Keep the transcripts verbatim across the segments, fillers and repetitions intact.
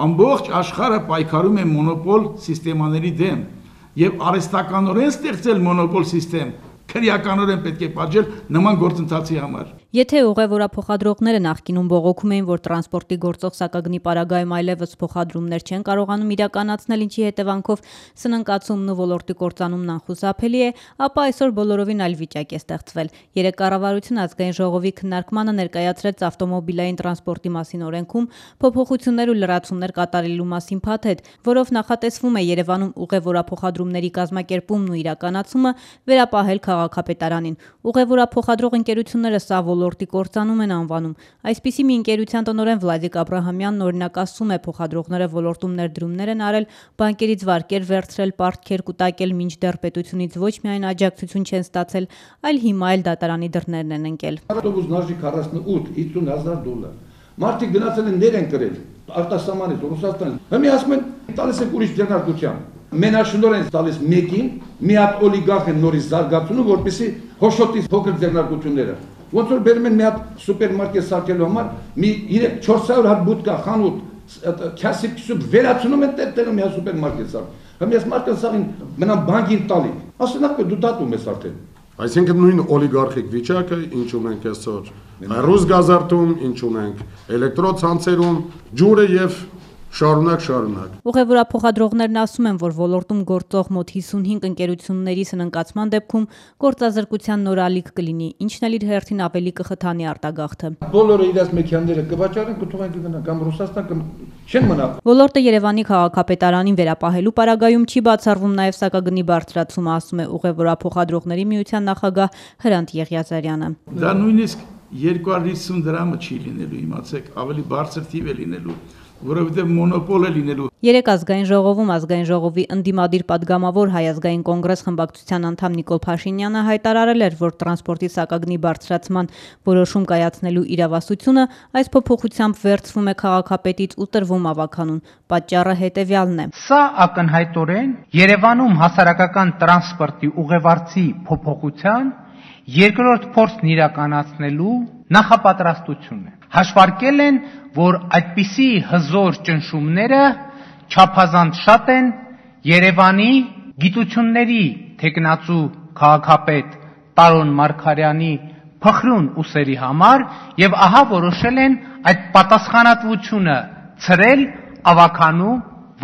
ամբողջ աշխարհը պայքարում է մոնոպոլ սիստեմաների դեմ եւ արհեստականորեն ստեղծել մոնոպոլ սիստեմ քրեականորեն պետք է պատժել նման գործընթացի համար։ Եթե ուղևորափոխադրողները նախկինում բողոքում էին, որ տրանսպորտի գործող սակագնի պարագայում այլևս փոխադրումներ չեն կարողանում իրականացնել, ինչի հետևանքով սնանկացումն ու ոլորտի կործանումն անխուսափելի է, ապա այսօր բոլորովին այլ վիճակ է ստեղծվել։ Երեկ կառավարությունը ազգային ժողովի քննարկմանը ներկայացրեց ավտոմոբիլային տրանսպորտի մասին օրենքում փոփոխություններ ու լրացումներ կատարելու մասին փաթեթ, որով նախատեսվում է Երևանում ուղևորափոխադրումների կազմակերպումն ու իրականացումը վերապահել քաղաքապետարանին։ Ուղևորափոխադրող ընկերությունները սա ոլորտի կործանում են անվանում։ Այսպիսի մի ընկերության տնօրեն Վլադիկ Աբրահամյանն օրինակ ասում է, փոխադրողները ոլորտում ներդրումներ են արել, բանկերից վարկեր վերցրել, պարտքեր կուտակել, մինչդեռ պետությունից ոչ միայն աջակցություն չեն ստացել, այլ հիմա էլ դատարանի դռներն են ընկել։ Ավտոբուսն արժի քառասունութ հիսուն հազար դոլար։ Մարդիկ գնացել են ներ են կրել արտասահմանից Ռուսաստան։ Հիմա ասում են տալիս եք ուրիշ ձեռնարկության։ Մենաշնոր են տալիս մեկին, մի հատ օլիգարխ են նորից զարգացնում, որպեսզի հոշոտի փոքր ձեռնարկությունները։ Ոնց որ բերում են մի հատ սուպերմարկետ սարքելու համար, մի չորս հարյուր հատ բուտկա, խանութ, քասիպ քսուպ վերացնում են տեղ-տեղը մի հատ սուպերմարկետ սարք։ Հիմա այս մարդը սաղին մնան բանկին տալի։ Ասում են դու դատում ես արդեն։ Այսինքն նույն օլիգարխիկ վիճակը, ինչ ունենք այսօր ռուս գազարդում, ինչ ունենք էլեկտրոցանցերում, ջուրը եւ շարունակ շարունակ։ Ուղևորափոխադրողներն ասում են, որ ոլորտում գործող մոտ հիսունհինգ ընկերությունների սնանկացման դեպքում գործազրկության նոր ալիք կլինի, ինչն էլ իր հերթին ավելի կխթանի արտագաղթը։ Բոլորը իրաց մեքենաները կվաճառեն, կթողեն կգնան կամ Ռուսաստան կամ չեն մնա։ Ոլորտը Երևանի քաղաքապետարանին վերապահելու պարագայում չի բացառվում նաև սակագնի բարձրացումը, ասում է ուղևորափոխադրողների միության նախագահ Հրանտ Եղիազարյանը։ Դա նույնիսկ երկու հարյուր հիսուն դրամը չի լինելու, իմացեք, ավելի բարձր թիվ է լինելու, որովհետև մոնոպոլ է լինելու։ Երեկ ազգային ժողովում ազգային ժողովի ընդդիմադիր падգամավոր Հայ ազգային կոնգրես խմբակցության անդամ Նիկոլ Փաշինյանը հայտարարել էր, որ տրանսպորտի սակագնի բարձրացման որոշում կայացնելու իրավասությունը այս փոփոխությամբ վերցվում է քաղաքապետից ու տրվում ավականուն։ Պատճառը հետևյալն է. Սա ակնհայտորեն Երևանում հասարակական տրանսպորտի ուղևորցի փոփոխության երկրորդ փորձն իրականացնելու նախապատրաստություն է։ Հաշվարկել են, որ այդպիսի հզոր ճնշումները չափազանց շատ են Երևանի գիտությունների թեկնածու քաղաքապետ Տարոն Մարգարյանի փխրուն ուսերի համար եւ ահա որոշել են այդ պատասխանատվությունը ցրել ավականու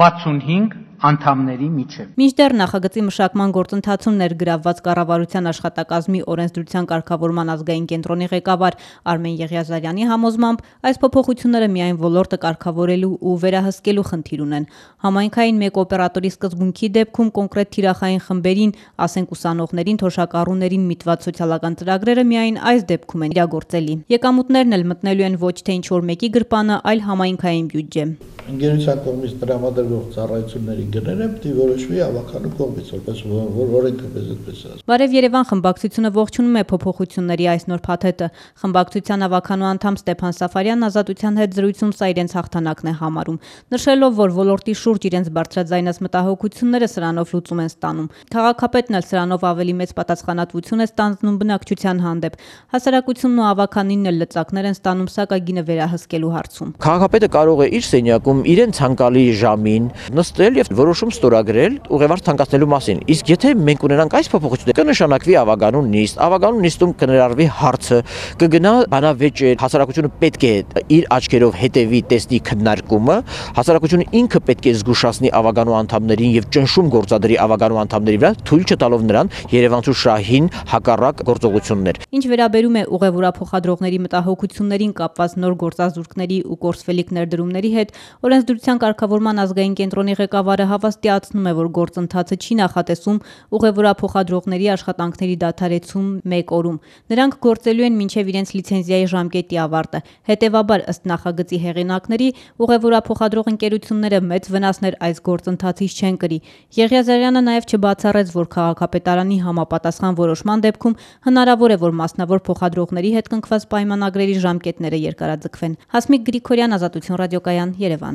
վաթսունհինգ անդամների միջև։ Մինչդեռ նախագծի մշակման գործընթացում ներգրավված կառավարության աշխատակազմի օրենսդրության կարգավորման ազգային կենտրոնի ղեկավար Արմեն Եղիազարյանի համոզմամբ այս փոփոխությունները միայն ոլորտը կարգավորելու ու վերահսկելու խնդիր ունեն։ Համայնքային մեկ օպերատորի սկզբունքի դեպքում կոնկրետ թիրախային խմբերին, ասենք ուսանողներին, թոշակառուներին միտված սոցիալական ծրագրերը միայն այս դեպքում են իրագործելի։ Եկամուտներն էլ մտնելու են ոչ թե ինչ-որ մեկի գրպանը, այլ համայնքային բյուջե։ Ընկերության կողմից տրամադրվող ծառայությունների գները պետք է որոշվի ավականու կողմից, որպես որ օրենքը պես այդպես ասում։ Բարև Երևան խմբակցությունը ողջունում է փոփոխությունների այս նոր փաթեթը։ Խմբակցության ավականու անդամ Ստեփան Սաֆարյանն Ազատության հետ զրույցում սա իրենց հաղթանակն է համարում, նշելով, որ ոլորտի շուրջ իրենց բարձրաձայնած մտահոգությունները սրանով լուծում են ստանում։ Քաղաքապետն էլ սրանով ավելի մեծ պատասխանատվություն է ստանձնում բնակչության հանդեպ։ Հասարակությունն ու ավականինն էլ լծակներ են ստանում սակագինը վերահսկելու հարցում։ Քաղաքապետը կարող է իր սենյակում իրեն ցանկալի ժամին նստել եւ որոշում ստորագրել ուղևորց ցանկացնելու մասին։ Իսկ եթե մենք ունենանք այս փոփոխությունը, կնշանակվի ավականու նիստ, ավականու նիստում կներառվի հարցը, կգնա բանավեճ, հասարակությունը պետք է իր աչքերով հետևի, տեսնի քննարկումը, հասարակությունը ինքը պետք է զգուշացնի ավականու անդամներին եւ ճնշում գործադրի ավականու անդամների վրա, թույլ չտալով նրան Երևանցու շահին հակառակ գործողություններ։ Ինչ վերաբերում է ուղևորափոխադրողների մտահոգություններին կապված նոր գործազուրկների ու կորսվելիք ներդրումների հետ, օրենսդրության կարգավորման ազգային կենտրոնի ղեկավարը հավաստիացնում է, որ գործընթացը չի նախատեսում ուղևորափոխադրողների աշխատանքների դադարեցում մեկ օրում։ Նրանք գործելու են մինչև իրենց լիցենզիայի ժամկետի ավարտը։ Հետևաբար, ըստ նախագծի հեղինակների, ուղևորափոխադրող ընկերությունները մեծ վնասներ այս գործընթացից չեն կրի։ Եղիազարյանը նաև չբացառեց, որ քաղաքապետարանի համապատասխան որոշման դեպքում հնարավոր է, որ մասնավոր փոխադրողների հետ կնքված պայմանագրերի ժամկետները երկարաձգվեն։ Հասմիկ Գրիգորյան, Ազատություն ռադիոկայան, Երևան։